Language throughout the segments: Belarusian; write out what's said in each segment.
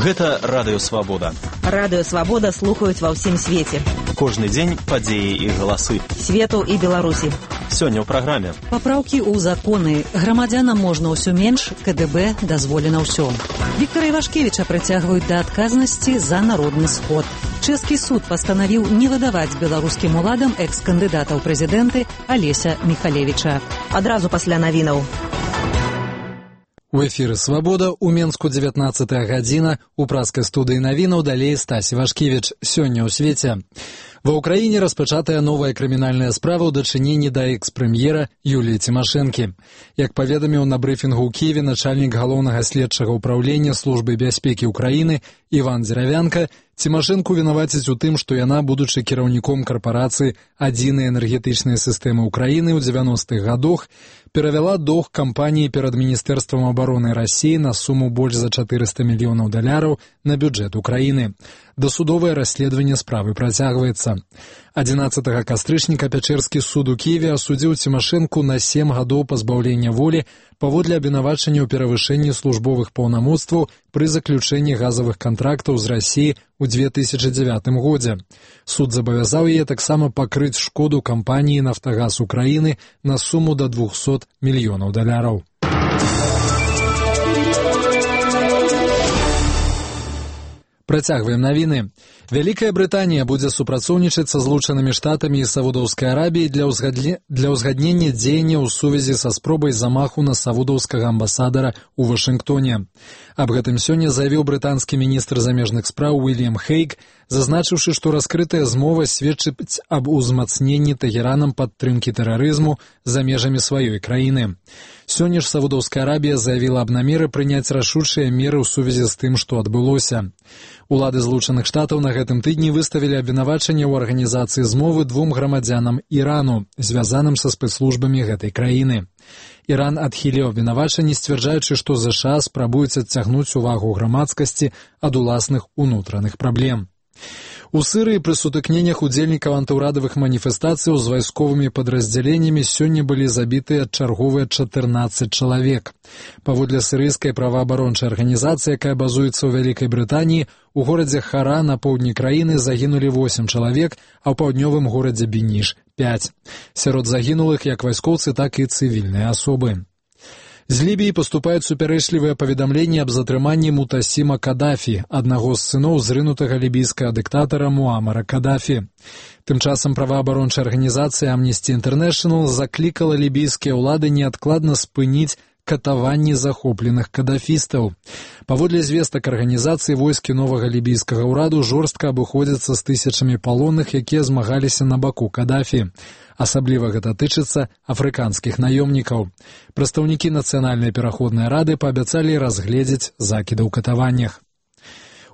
Гэта Радыё Свабода. Радыё Свабода слухаюць ва ўсім свеце. Кожны дзень падзеі і галасы. Свету і Беларусі. Сёння ў праграме. Папраўкі ў законы. Грамадзянам можна ўсё менш, КДБ дазволена ўсё. Віктара Івашкевіча прыцягваюць да адказнасці за народны сход. Чэшскі суд пастанавіў не выдаваць беларускім уладам экс-кандыдата ў прэзідэнты Алеся Міхалевіча. Адразу пасля навінаў. У эфіры «Свабода», у Менску 19 гадзіна, у праскай студыі навінаў далей Стась Івашкевіч. Сёння ў свеце. Ва ўкраіне распачатая новая крымінальная справа ў дачыненні да экс-прэм'ера Юліі Цімашэнкі. Як паведаміў на брыфінгу ў Кіеве начальнік галоўнага следчага ўпраўлення Службы бяспекі ўкраіны Іван Дзеравянка, Цімашэнку вінаваціць у тым, што яна, будучы кіраўніком карпорацыі «Адзінай энергетычнай сістэмы ўкраіны» ў 90-х гадах, перавяла доўг кампаніі перад Міністэрствам абароны Расіі на суму больш за $400 мільёнаў на бюджэт Украіны. Дасудовае расследаванне справы працягваецца. 11 кастрычніка Пячэрскі суд у Кіеве асудзіў Цімашэнку на 7 гадоў пазбаўлення волі паводле абвінавачання ў перавышэнні службовых паўнамоцтваў пры заключэнні газавых кантрактаў з Расіі ў 2009 годзе. Суд забавязаў яе таксама пакрыць шкоду кампаніі «Нафтагаз Украіны» на суму да $200 мільёнаў. Працягваем навіны. Вялікая Брытанія будзе супрацоўнічаць са Злучанымі Штатамі і Саудаўскай Арабіяй для ўзгаднення дзеяння ў сувязі са спробай замаху на саудаўскага амбасадара ў Вашынгтоне. Аб гэтым сёння заявіў брытанскі міністр замежных спраў Уільям Хейг, зазначыўшы, што раскрытая змова сведчыць аб узмацненні Тэгеранам падтрымкі тэрарызму за межамі сваёй краіны. Сёння ж Саудаўская Арабія заявіла аб намеры прыняць рашучыя меры ў сувязі з тым, што адбылося. Улады Злучаных Штатаў на гэтым тыдні выставілі абвінавачанне ў арганізацыі змовы 2 грамадзянам Ірану, звязаным са спецслужбамі гэтай краіны. Іран адхіліў абвінавачанні, сцвярджаючы, што ЗША спрабуюць адцягнуць увагу грамадскасці ад уласных унутраных праблем. У Сырыі пры сутыкненнях удзельнікаў антыўрадавых маніфестацыяў з вайсковымі падраздзяленнямі сёння былі забітыя чарговыя 14 чалавек. Паводле сірыйскай праваабарончай арганізацыі, якая базуецца ў Вялікай Брытаніі, у горадзе Хара на поўдні краіны загінулі 8 чалавек, а ў паўднёвым горадзе Беніш – 5. Сярод загінулых як вайскоўцы, так і цывільныя асобы. З Лібіі паступаюць супярэчлівыя паведамленні аб затрыманні Мутасіма Кадафі, аднаго з сыноў зрынутага лібійскага дыктатара Муамара Кадафі. Тым часам праваабарончая арганізацыя Amnesty International заклікала лібійскія ўлады неадкладна спыніць катаванні захопленых кадафістаў. Паводле звестак арганізацыі, войскі новага лібійскага ўраду жорстка абыходзяцца з тысячамі палонных, якія змагаліся на баку Кадафі. Асабліва гэта тычыцца афрыканскіх наёмнікаў. Прадстаўнікі Нацыянальнай пераходнай рады паабяцалі разгледзець закіды ў катаваннях.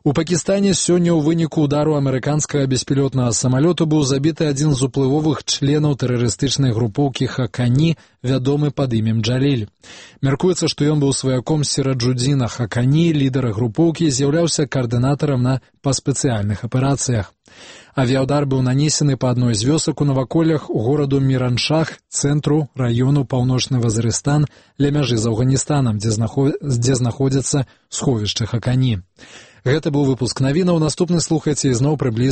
У Пакістане сёння ў выніку удару амерыканскага беспілотнага самалёту быў забіты адзін з уплывовых членаў тэрарыстычнай групоўкі Хакані, вядомы пад імем Джаліль. Мяркуецца, што ён быў сваяком Сіраджудзіна Хакані, лідара групоўкі, з'яўляўся каардынатарам па спецыяльных аперацыях. Авіаудар быў нанесены па адной з вёсак у наваколлях гораду Міраншах, цэнтру раёну Паўночны Вазырыстан, ля мяжы з Афганістанам, дзе знаходзяцца сховішча Хакані. Гэта быў выпуск навінаў. Наступны слухайце ізноў прыблізна